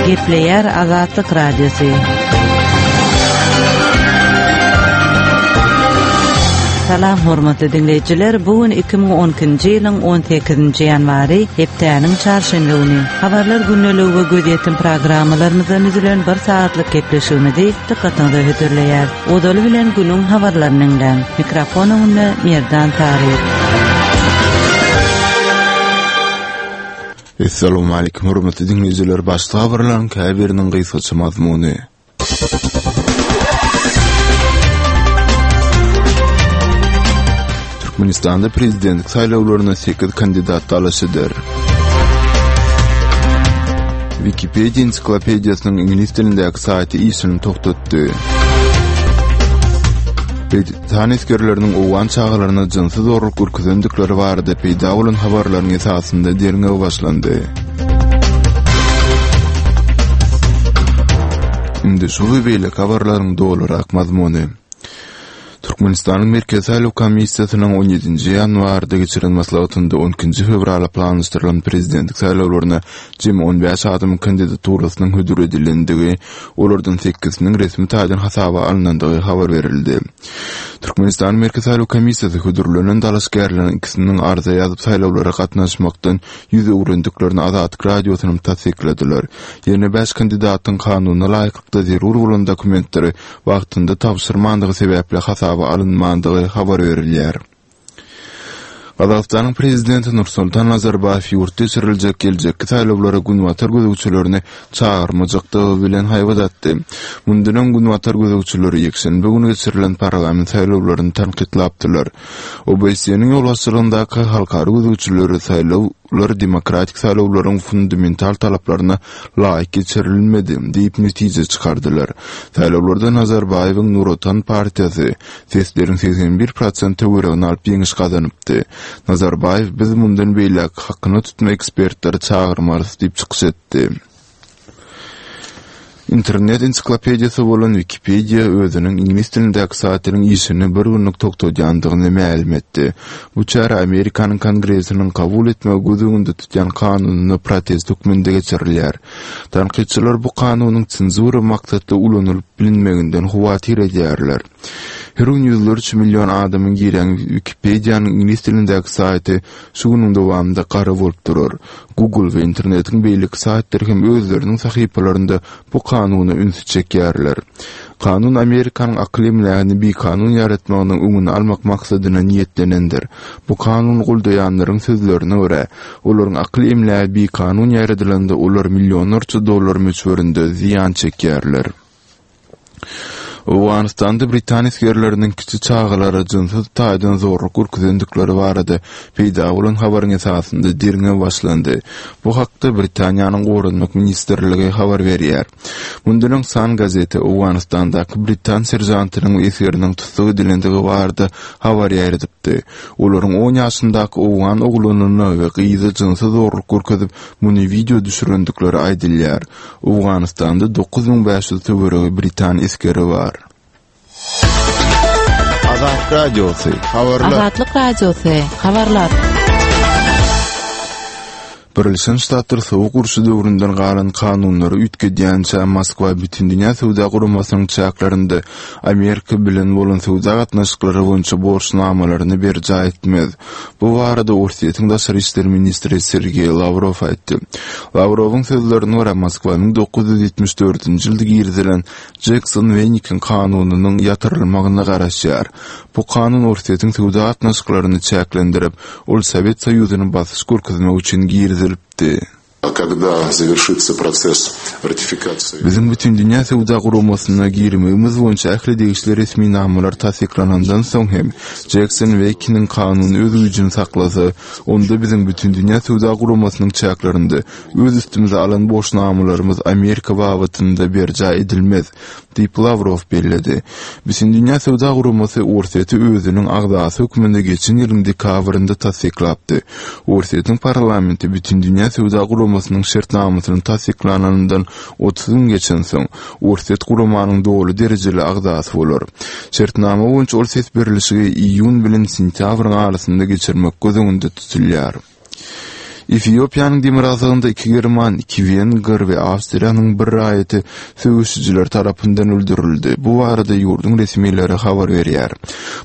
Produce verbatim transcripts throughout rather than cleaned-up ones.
Gepleýär Azatlyk Radiosy. Salam hormatly diňleýjiler, bu gün iki müň on ikinji ýylyň on sekizinji ýanwary, hepdäniň çarşenbe güni. Habarlar gündeligi we gözýetim programmalarymyzdan düzülen bir saatlyk gepleşigimizi dykgatyňyza hödürleýär. Ozaly bilen günüň habarlaryny diňläň. Mikrofon öňünde Merdan Taryk. Essalamu aleýkum hormatly diňleýjiler, başda habarlaryň käbiriniň gysgaça mazmuny. Türkmenistanda prezidentlik saýlawlaryna sekiz kandidat dalaş eder. Wikipedia ensiklopediýasynyň iňlis dilindäki saýty işini togtatdy. Britan esgerleriniň owgan çagalaryna jynsy zorluk görkezendikleri barada peýda bolan habarlaryň esasynda derňew başlandy. Indi şu we beýleki habarlaryň dolurak mazmuny. Türkmenistanyň Merkezi saýlaw komissiýasynyň on ýedinji ýanwarda geçiren maslahatynda on ikinji fewrala planlaşdyrylan prezidentlik saýlawlaryna jemi on bäş adamyň kandidaturasynyň hödür edilendigi, olardan sekiziniň resmi taýdan hasaba alynandygy habar berildi. Türkmenistanyň Merkezi saýlaw komissiýasy hödürlenen dalaşgärleriň ikisiniň arza ýazyp saýlawlara gatnaşmakdan ýüz öwrendiklerini Azatlyk Radiosynyň tassykladylar. Ýene bäş kandidatyň kanuna laýyklykda zerur bolan dokumentleri wagtynda tabşyrmandygy sebäpli hasaba alynmandygy habar berilýär. Gazagystanyň prezidenti Nursultan Nazarbaýew ýurtda geçiriljek geljekki saýlawlara Günbatar gözegçilerini çagyrmajakdygy bilen haýbat atdy. Mundan öň Günbatar gözegçileri ýekşenbe güni geçirilen parlament saýlawlaryny tankytlapdylar. O B S E-niň ýolbaşçylygyndaky halkara gözegçileri saýlawlar demokratik saýlawlaryň fundamental talaplaryna laýyk geçirilmedi diýip netije çykardylar. Saýlawlarda Nazarbaýewiň Nur Otan partiýasy sesleriň seksen bir prosent töweregini alyp ýeňiş gazanypdy. Nazarbaýew biz mundan beýläk hakyna tutma ekspertleri çagyrmarys diýip çykyş etdi. Internet ensiklopediýasy bolan Wikipedia özüniň iňlis dilindäki saýtynyň işini bir günlük togtadýandygyny mälim etdi. Bu çäre Amerikanyň Kongresiniň kabul etmegi göz öňünde tutýan kanunyna protest hökmünde geçirilýär. Tankytçylar bu kanunyň senzura maksatly ulanylyp bilinmeginden howatyr edýärler. Her gün ýüzlerçe milyon adamyň girýän Wikipedianyň iňlis dilindäki saýty şu günüň dowamynda gara bolup durar. Google we internetiň beýleki saýtlary hem özleriniň sahypalarynda bu kanuna ünsi çekýärler. Kanun Amerikanyň akyl emlägini bikanun ýaratmagynyň öňüni almak maksadyna niýetlenendir. Bu kanun goldaýanlaryň sözlerine görä, olaryň akyl emlägi bikanun ýaradylanda olar millionlarça dollar möçberinde zyýan çekýärler. Owganystanda Britan esgerleriniň kiçi çagalara jynsy taýdan zorluk görkezendikleri barada peýda bolan habaryň esasynda derňew başlandy. Bu hakda Britaniýanyň Goranmak ministrligi habar berýär. Mundan öň Sun gazeti Owganystandaky Britan seržantynyň we esgeriniň tussag edilendigi barada habar ýaýradypdy. Olaryň on ýaşyndaky owgan oglanyna we gyzy jynsy zorluk görkezip, muny video düşürendikleri aýdylýar. Owganystanda dokuz müň bäş ýüz töweregi Britan esgeri bar. Azatlyk Radiosy, habarlar. Azatlyk Radiosy, habarlar. Birleşen Ştatlar sowuk urşy döwründen galan kanunlary üýtgedýänçä Moskwa Bütindünýä Söwda Guramasynyň çäklerinde Amerika bilen bolan söwda gatnaşyklary boýunça borçnamalaryny berjaý etmez. Bu barada Orsýetiň daşary işler ministri Sergeý Lawrow aýtdy. Lawrowyň sözlerine görä Moskwa müň dokuz ýüz ýetmiş dördünji ýylda girizilen Jekson-Wenikiň kanunynyň ýatyrylmagyna garaşýar. Bu kanun Orsýetiň söwda gatnaşyklaryny çäklendirip, ol Sowet Soýuzyny basyş görkezmek üçin girizilipdi. Когда завершится процесс ратификации? Biziň Bütindünýä Söwda Guramasyna girmegimiz boýunça ähli degişli resminamalar tassyklanandan soň hem Jekson-Wekiniň kanuny öz güýjüni saklasa, onda biziň Bütindünýä Söwda Guramasynyň çäklerinde öz üstümize alan borçnamalarymyz Amerika babatynda berjaý edilmez, diýip Lawrow belledi. Bütindünýä Söwda Guramasy Orsýeti özüniň agzasy hökmünde geçen ýylyň dekabrynda tassyklapdy. Orsýetiň parlamenti Bütindünýä Söwda Guramasynyň şertnamasyny tassyklananyndan otuz gün geçensoň, Orsýet guramanyň doly derejeli agzasy bolar. Şertnama boýunça ol ses berilişigi iýun bilen sentýabryň arasynda geçirmek göz öňünde tutulýar. Efiopiýanyň demirgazygynda iki german, iki wenger we Awstriýanyň bir raýaty söweşijiler tarapyndan öldürildi. Bu barada ýurduň resmileri habar berýär.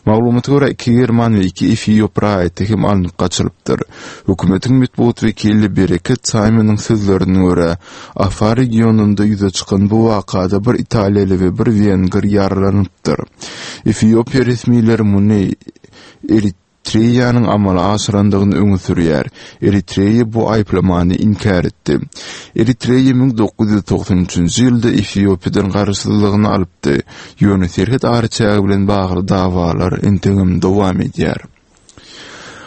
Maglumata görä iki german we iki efiop raýaty hem alnyp gaçylypdyr. Hökümetiň metbugat wekili Bereket Simonyň sözlerine görä, Afar regionynda ýüze çykan bu wakada bir italiýaly we bir wenger ýaralanypdyr. Efiopiýa resmileri muny Eritreýanyň amala aşyrandygyny öňe sürýär. Eritreýa bu aýyplamany inkär etdi. Eritreýa müň dokuz ýüz togsan üçünji ýylda Efiopiýadan garaşsyzlygyny alypdy. Ýöne serhet araçägi bilen bagly dawalar entegem dowam edýär.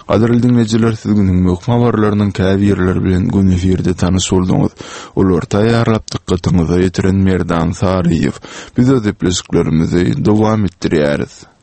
Gadyrly dinleýjiler, siz günüň möhüm habarlarynyň käbirleri bilen gün efirde tanyş bolduňyz. Olary taýýarlap dykgatyňyza ýetiren Merdan Saryýew. Biz öz gepleşiklerimizi dowam etdirýäris.